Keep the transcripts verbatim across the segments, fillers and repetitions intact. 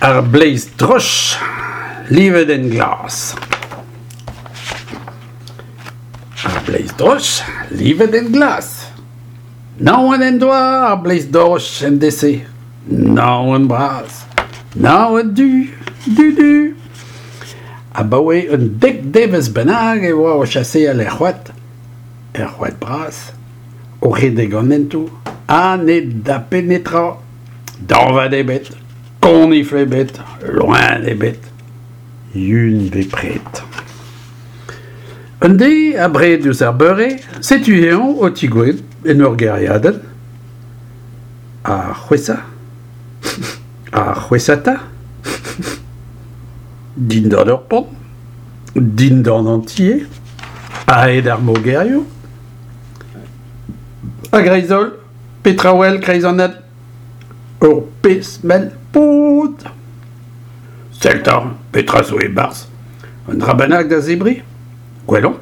Ar bleiz droch livet en glas. Ar bleiz droch livet en glas. Naon en doa ar bleiz droch en deiz-se. Naon bras. Naon du, du-du. Abaoe un dek devezh bennak e oa o chaseal er c'hoad, er c'hoad bras, o redek an hentoù, ha ne dape netra, dañvad ebet, konifl ebet, loen ebet, yun bepred. Un deiz, abred diouzh ar beure, setu eñ o tigouezhout en ur gêriadenn. Ha c'hwesa, ha c'hwesata, dindan ur pont, dindan an tiez, a-hed ar mogerioù. A-greiz-holl, petra 'wel 'kreiz an hent? Ur pezh mell pod. Sell 'ta, petra zo e-barzh? Un dra bennak da zebriñ? Gwelomp.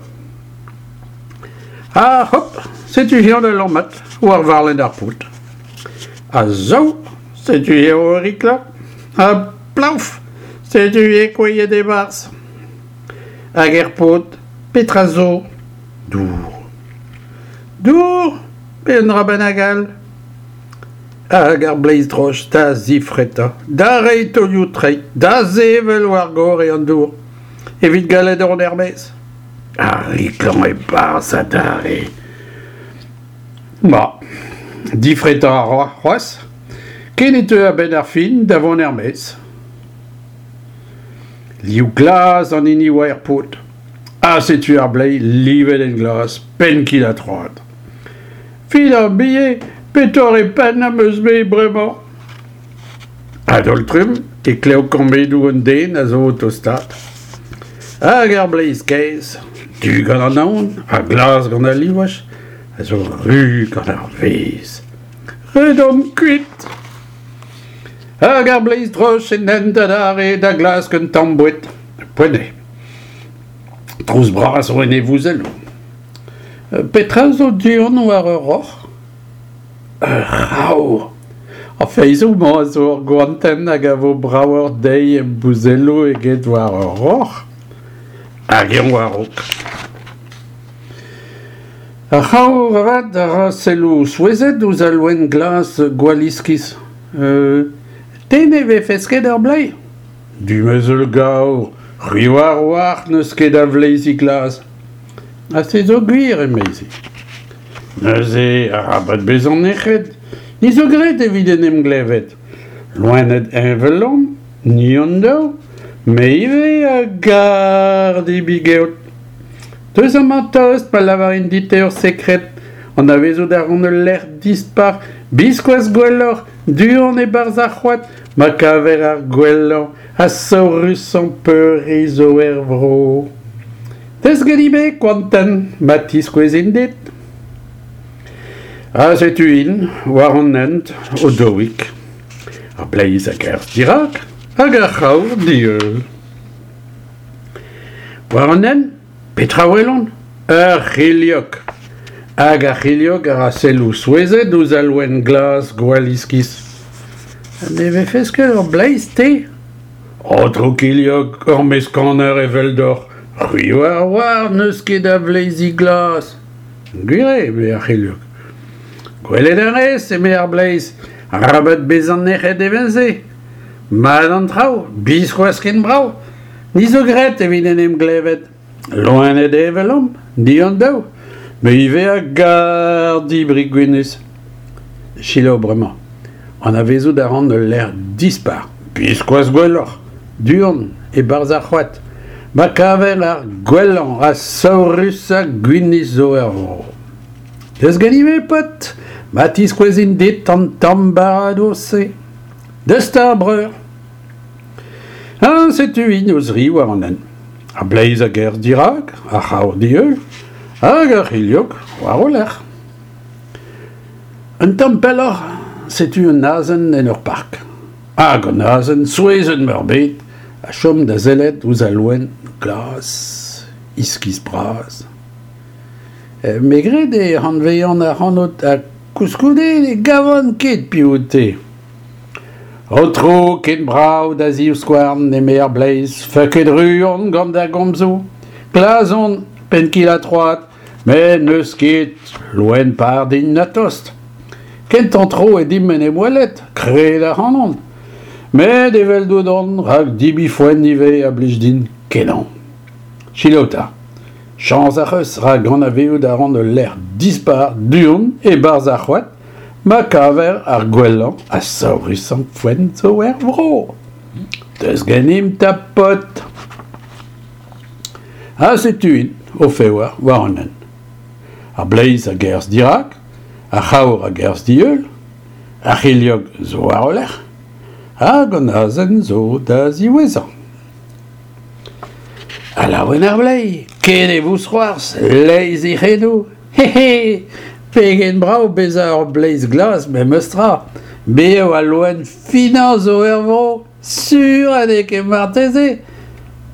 Ha hop, setu eñ da lammat war varlenn ar pod. Ha sav, setu eñ o riklañ. Ha plaouf, setu eñ kouezhet e-barzh. Hag er pod, petra zo? Dour. Dour pe un dra bennak all? Hag ar bleiz droch da zifretañ, da reiñ taolioù treid, da sevel war gorre an dour, evit gallout dont er-maez. Ha riklañ e-barzh adarre. Ma, difretañ a ra c'hoazh, ken e teu a-benn ar fin da vont er-maez. Liv glas an hini oa er pod. Ha setu ar bleiz livet en glas, penn-kil-ha-troad. Fidambie, petore penn am eus-me bremañ? A-daol-trumm e klev kammedoù un den a zo o tostaat. Hag ar bleiz kaezh, du gant an naon ha glas gant al livaj, a zo ruz gant ar vezh. Redomp kuit! Hag ar bleiz droch en hent adarre da glask un tamm boued. Poent eo. Trouz bras zo en e vouzelloù. Petra zo du-hont war ur roc'h? Ur c'havr. Ar feiz-mañ a zo ur goantenn hag a vo bravoc'h dezhi em bouzelloù eget war ur roc'h. Hag eñ war-raok. Ar c'havr avat a ra selloù souezhet ouzh al loen glas gwall iskis. Euh, te ne vefes ket ur bleiz? Demoiselle gavr, c'hwi oar 'walc'h n'eus ket a vleizi glas. Ha se zo gwir, emezi. Neuze, arabat bezañ nec'het, ni zo graet evit en em glevet. Loened heñvel omp, ni hon daou, me ivez a gar debriñ geot. Deus amañ tost pa lavarin dit ur sekred, anavezout a ran ul lec'h dispar, biskoazh gwelloc'h, du-hont e-barzh ar c'hoad, ma kaver ar gwellañ ha saourusañ peuriñ zo er vro. Deus ganit-me, koantenn, ma tiskouezin dit. Ha setu int war an hent o daouig. Ar bleiz a gerzh dirak hag ar c'havr d'e heul. War an hent, petra 'welont? Ur c'hilhog. Hag ar c'hilhog a ra selloù souezhet ouzh al loen glas gwall iskis. Ne vefes ket ur bleiz, te? Aotrou kilhog, ur meskaner eveldoc'h, c'hwi oar 'walc'h n'eus ket a vleizi glas. Gwir eo, eme ar c'hilhog. Gwelet a rez, eme ar bleiz, arabat bezañ nec'het evel-se. Mat an traoù, biskoazh ken brav. Ni zo graet evit en em glevet. Loened heñvel omp, ni hon daou. Me ivez a gar debriñ gwinizh. Selaou bremañ. Anavezout a ran ul lec'h dispar, biskoazh gwelloc'h, du-hont, e-barzh ar c'hoad, ma kaver ar gwellañ ha saourusañ gwinizh zo er vro. Deus ganit-me, paotr, ma tiskouezin dit an tamm baradoz-se. Deus 'ta, breur. Ha setu int o-zri war an hent. Ar bleiz a gerzh dirak, ar c'havr d'e heul, hag ar c'hilhog war o lerc'h. Un tamm pelloc'h, setu un azen en ur park. Hag an azen, souezhet meurbet, a chom da sellet ouzh al loen glas, iskis-bras. Me 'gred e anavezan ac'hanout ha koulskoude ne gavan ket piv out-te. Aotrou, ken brav da zivskouarn, eme ar bleiz, feuket ru on gant da gomzoù. Glas on, penn-kil-ha-troad, met n'eus ket loen par din na tost. Kentañ tro eo dimp en em welet, kred ac'hanon. Met eveldout on, rak debriñ foenn ivez a blij din kenañ. Selaou 'ta. Chañs ac'h eus, rak anavezout a ran ul lec'h dispar du-hont e-barzh ar c'hoad, ma kaver ar gwellañ ha saourusañ foenn zo er vro. Deus ganimp 'ta paotr. Ha setu-int o-fevar war an hent. Ar bleiz a gerzh dirak, ar c'havr a gerzh d'e heul, ar c'hilhog zo war o lerc'h, hag an azen zo da ziwezhañ. Ha laouen ar bleiz, ken e vousc'hoarzh, leizh e c'henoù, he he, pegen brav bezañ ur bleiz glas memes tra, me eo al loen finañ zo er vro, sur ha n'eo ket marteze.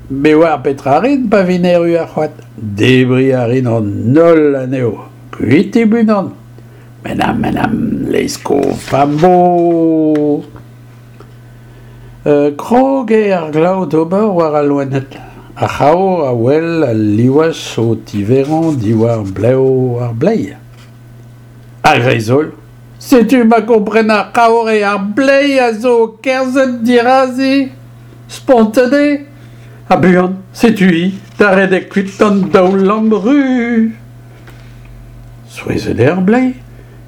Me oar petra rin pa vin erru er c'hoad, debriñ a rin an holl anezho, kuit unan. Menam, menam, leizh kof am bo. Euh, krog eo ar glav d'ober war al loened. Ar c'havr a wel al livaj o tiverañ diwar blev ar bleiz. A-greiz-holl, setu ma kompren ar c'havr eo ar bleiz a zo o kerzhet dirazi. Spontet eo. Ha buan, setu-hi da redek kuit d'an daou lamm ru. Souezhet eo ar bleiz,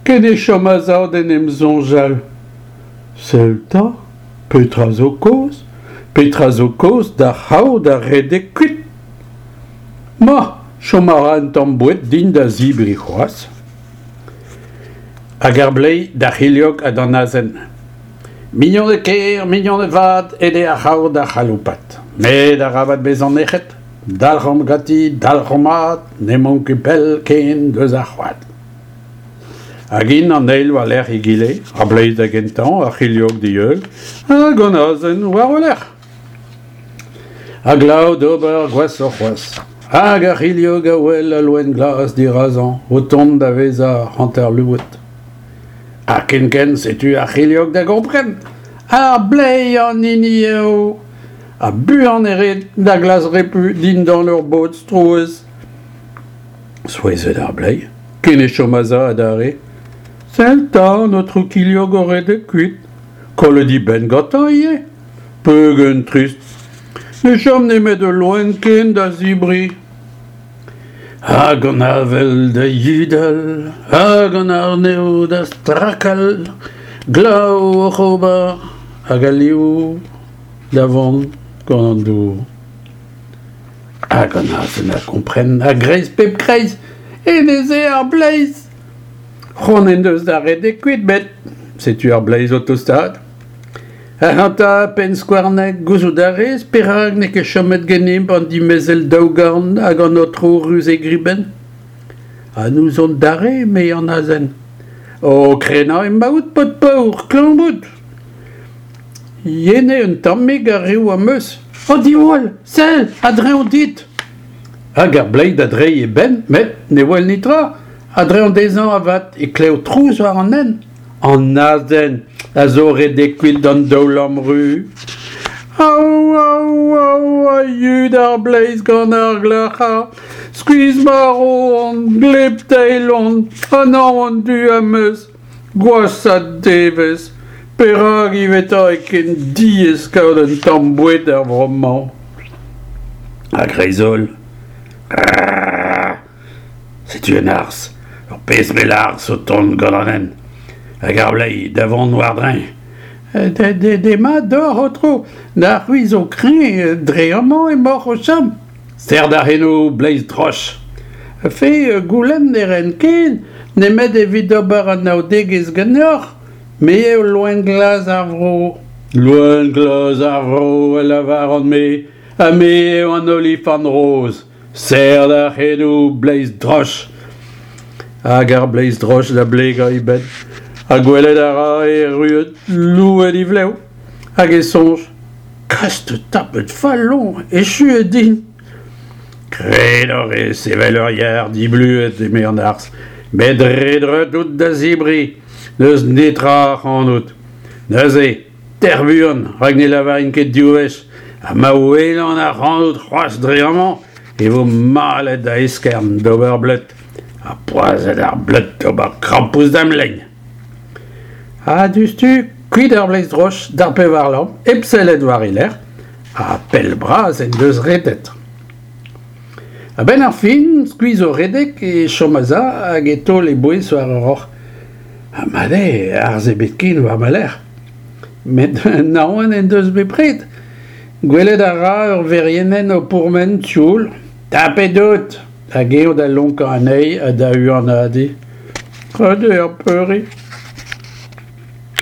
ken e chom a-sav d'en em soñjal. Sell 'ta, petra zo kaoz? Petra zo kaoz d'ar c'havr da redek kuit? Ma, chom a ra un tamm boued din da zebriñ c'hoazh. Hag ar bleiz d'ar c'hilhog ha d'an azen. Mignoned ker, mignoned vat, aet eo ar c'havr da c'haloupat. Met arabat bezañ nec'het, dalc'homp ganti, dalc'homp mat, n'emaomp ket pell ken deus ar c'hoad. Hag int an eil war-lerc'h egile, ar bleiz da gentañ, ar c'hilhog d'e heul, hag an azen war o lerc'h. Ha glav d'ober gwashoc'h c'hoazh. Hag ar c'hilhog a wel al loen glas dirazañ, o tont da vezañ hanter louet. Ha kenkent setu ar c'hilhog da gompren. Ar bleiz an hini eo. Ha buan e red da glask repu dindan ur bod strouezh. Souezhet ar bleiz, ken e chom a-sav adarre. Sell 'ta, an aotrou kilhog o redek kuit. Kollet e benn gantañ ivez. Pegen trist. Ne chom nemet ul loen ken da zebriñ. Hag an avel da yudal, hag an arnev da strakal, glav oc'h ober, hag al liv da vont gant an dour. Hag an azen a kompren a-greiz pep kreiz, hennezh eo ar bleiz. C'hoant en deus da redek kuit, met setu ar bleiz o tostaat. Ac'hanta, penn skouarnek, gouzout a rez perak n'eo ket chomet ganimp an dimezell daougarn hag an aotrou ruz e gribenn? Ha n'ouzon dare, eme an azen. O krenañ emaout, paotr paour, klañv out. Yen eo un tammig ar riv am eus. O diwall, sell, a-dreñv dit. Hag ar bleiz da dreiñ e benn, met ne wel netra. A-dreñv dezhañ avat e klev trouz war an hent. An azen a zo redek kuit d'an daou lamm ru. Aou, aou, aou, a yud ar bleiz gant ar glac'har. Skuizh-marv on, gleb-teil on, ha naon du am eus. Gwashañ devezh. Perak ivez 'ta eo ken diaes kaout un tamm boued er vro-mañ? A-greiz-holl. Setu un arzh, ur pezh mell arzh o tont gant an hent. Hag ar bleiz da vont war-dreñv. Demat deoc'h, aotrou, na c'hwi zo kreñv, dre amañ emaoc'h o chom. Serr da c'henoù, bleiz droch. Fe, goulenn ne ran ken, nemet evit ober anaoudegezh ganeoc'h. Me eo loen glas ar vro. Loen glas ar vro, a lavaran-me, ha me eo an olifant roz. Serr da c'henoù, bleiz droch. Hag ar bleiz droch da blegañ e benn. Ha gwelet a ra erruet louet e vlev. Hag e soñj, Kast tapet fall on, echu eo din. Krennoc'h eo sevel ur yar dibluet, eme an arzh. Met re dreut out da zebriñ, n'eus netra ac'hanout. Neuze, Tec'h buan, rak ne lavarin ket div wech, ha ma welan ac'hanout c'hoazh dre amañ e vo malet da eskern d'ober bleud, ha poazhet ar bleud d'ober krampouezh da'm lein. Ha diouzhtu, kuit ar bleiz droch d'ar pevar lamm, hep sellet war e lerc'h, ha pell-bras en deus redet. A-benn ar fin, skuizh o redek, e chom a-sav hag e taol e bouez war ur roc'h. Ha mat eo, arzh ebet ken war ma lerc'h. Met naon en deus bepred. Gwelet a ra ur verienenn o pourmen sioul. Tapet out! Hag eñ da lonkañ anezhi ha da huanadiñ. Ret eo peuriñ.